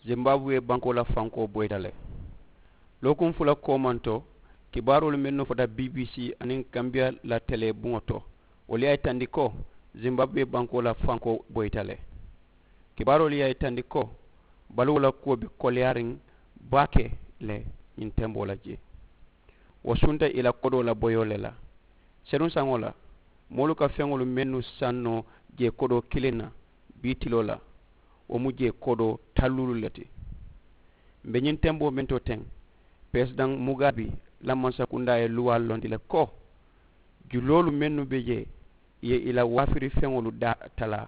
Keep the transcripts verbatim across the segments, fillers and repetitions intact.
Zimbabwe bankoo la fankoo boyita le. Lookuŋ fula koomanto, kibaaroolu mennu fota bbc aniŋ kambiya la telee buŋo to, wolu ye a yitandi ko zimbabwe bankoo la fankoo boyita le. Kibaaroolu ye a yitandi ko baluwo la kuwo be koleyaariŋ baake le ñiŋ temboo la jee. Wo sunta i la kodoo la boyoo le la. Senuŋ saŋo la, moolu ka feŋolu mennu saŋ noo jee kodoo kiliŋ na bii tiloo la, wo mu jee kodoo talluulu le ti. M̀ be ñiŋ temboo meŋ to teŋ, peresidaŋ mugaabi la mansakundaa ye luwaa londi le ko juloolu mennu be jee, ì ye ì la waafiri feŋolu daa talaa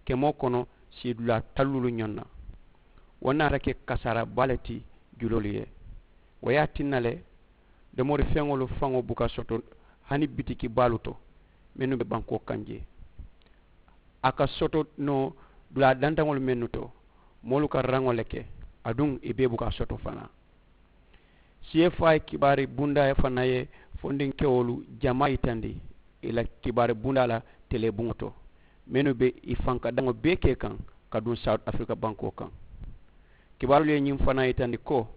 kemoo kono, sii dulaa talluulu ñoŋ na. Wo naata ke kasaara baa le ti juloolu ye. Wo ye a tinna le domori feŋolu faŋo buka soto hani bitiki baalu to mennu be bankoo kaŋ jee. A ka soto noo dulaa dantaŋolu mennu to, moolu ka raŋo le ke, aduŋ ì bee buka soto fanaa. Siyeefaa ye kibaari bundaa fanaŋ ye fondinkewolu jamaa yitandi ì la kibaari bundaa la telee buŋo to, mennu be ì fankadaŋo bee kee kaŋ ka duŋ sawuti afirika bankoo kaŋ. Kibaaroolu ye ñiŋ fanaŋ yitandi ko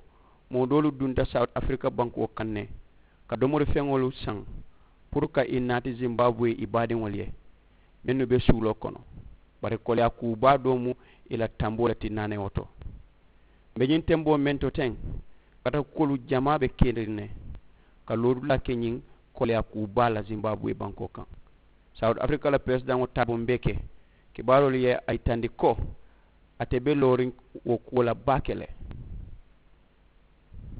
moo doolu dunta sawuti afirika bankoo kaŋ ne ka domori feŋolu saŋ puru ka ì naati zimbabwe ì baadiŋolu ye mennu be suuloo kono. Bari koleyaa kuu baa doo mu ì la tamboo le ti naanewo to. M̀ be ñiŋ temboo meŋ to teŋ katakuwolu jamaa be keriŋ ne ka loodulaa ke ñiŋ koleyaa kuu baa la zimbabwe bankoo kaŋ. Sawuti afirika la peresidaŋo taaboo m̀ be ke kibaaroolu ye a yitandi ko ate be looriŋ wo kuwo la baake le.